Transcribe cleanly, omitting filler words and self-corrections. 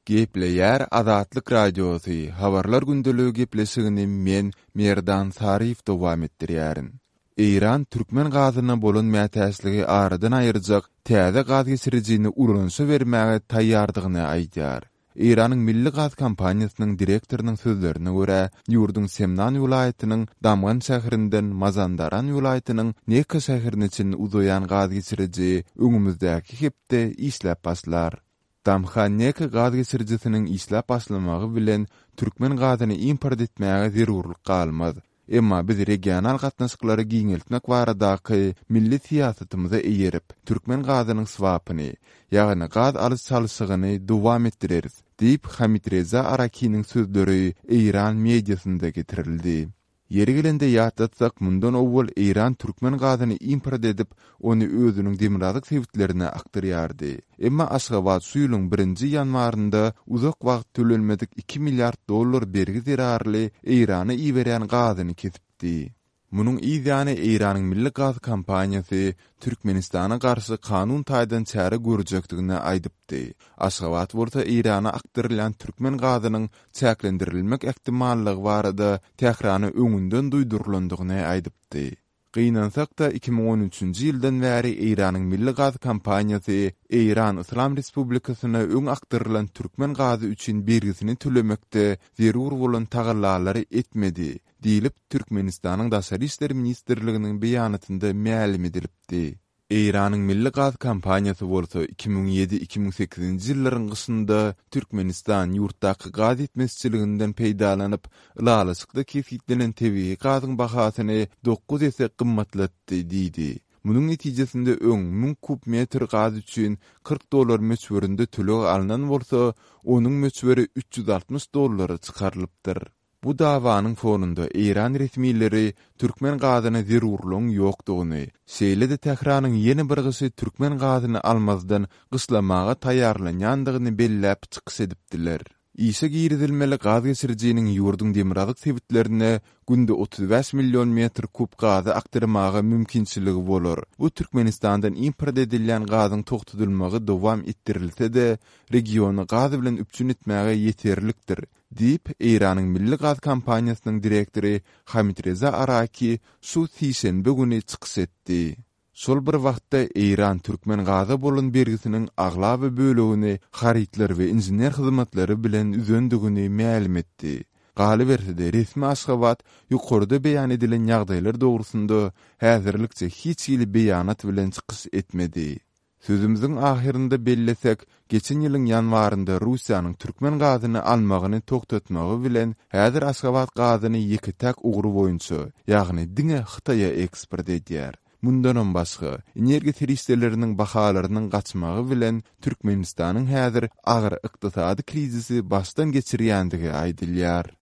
Gepleýär Azatlyk Radiosy, Habarlar gündeligi gepleşigini men, Merdan Saryýew dowam etdirýärin. Eýran türkmen gazyna bolan mätäçligi aradan aýyrjak täze gaz geçirijini ulanyşa bermäge taýýardygyny aýdýar. Eýranyň Milli gaz kompaniýasynyň direktorynyň sözlerine görä, ýurduň Semnan welaýatynyň Damgan şäherinden Mazandaran welaýatynyň Neka şäherine çenli uzaýan gaz geçiriji öňümizdäki hepde işläp başlar. Damhan-Neka gaz geçirijisiniň işläp başlamagy bilen türkmen gazyny import etmäge zerurlyk galmaz. Emma biz regional gatnaşyklary giňeltmek baradaky milli syýasatymyza eýerip, türkmen gazynyň swapyny, ýagny gaz alyş-çalşygyny dowam etdireris, diýip, Hamid Reza Arakiniň sözleri eýran mediasynda getirildi. Ýeri gelende ýatlatsak, mundan owal Eýran türkmen gazyny import edip, ony özüniň demirgazyk sebitlerine akdyrýardy. Emma Aşgabat şu ýylyň birinji ýanwarynda uzak wagt tölenmedik iki milliard dollar bergi zerarly Eýrana iberýän gazyny kesipdi. Munuň yz ýany Eýranyň milli gaz kompaniýasy Türkmenistana garşy kanun taýdan çäre görjekdigini aýdypdy. Aşgabat bolsa Eýrana akdyrylýan türkmen gazynyň çäklendirilmek ähtimallygy barada Tährana öňünden duýdurylandygyny aýdypdy. Gynansak-da, 2013-nji ýyldan bäri Eýranyň milli gaz kompaniýasy Eýran Yslam Respublikasyna öň akdyrylan türkmen gazy üçin bergisini tölemekde zerur bolan tagallalary etmedi diýlip, Türkmenistanyň Daşary işler ministrliginiň beýanatynda mälim edilipdi. Eýranyň milli gaz kompaniýasy bolsa 2007, 2008-nji ýyllaryň gyşynda Türkmenistan ýurtdaky gaz ýetmezçiliginden peýdalanyp, ylalaşykda kesgitlenen tebigy gazyň bahasyny dokuz esse gymmatlatdy diýdi. Munuň netijesinde öň 1000 kub metr gaz üçin 40 dollar möçberinde töleg alnan bolsa, onuň möçberi 360 dollara çykarylypdyr. Bu dawanyň fonunda eýran resmileri türkmen gazyna zerurlygyň ýokdugyny, şeýle-de Tähranyň ýene bir gyşy türkmen gazyny almazdan gyşlamaga taýýarlanýandygyny belläp çykyş edipdiler. Işe girizilmeli gaz geçirijiniň ýurduň demirgazyk sebitlerine günde 35 million metr kub gazy akdyrmaga mümkinçiligi bolar. Bu Türkmenistandan import edilýän gazyň togtadylmagy dowam etdirilse-de, regiony gaz bilen üpjün etmäge ýeterlikdir, diýip, Eýranyň Milli gaz kompaniýasynyň direktory Hamid Reza Araki şu sişenbe güni çykyş etdi. Şol bir wagtda, Eýran türkmen gaza bolan bergisiniň aglaba bölegini harytlar we inžener hyzmatlary bilen üzendigini mälim etdi. Galyberse-de, resmi Aşgabat ýokarda beýan edilen ýagdaýlar dogrusynda häzirlikçe hiç hili beýanat bilen çykyş etmedi. Sözümiziň ahyrynda bellesek, geçen ýylyň ýanwarynda Russiýanyň türkmen gazyny almagyny togtatmagy bilen, häzir Aşgabat gazyny ýeke-täk ugry boýunça, ýagny diňe Hytaýa eksport edýär. Mundanam başga, energiýa serişdeleriniň bahalarynyň gaçmagy bilen Türkmenistanyň häzir agyr ykdysady krizisi başdan geçirýändigi aýdylýar.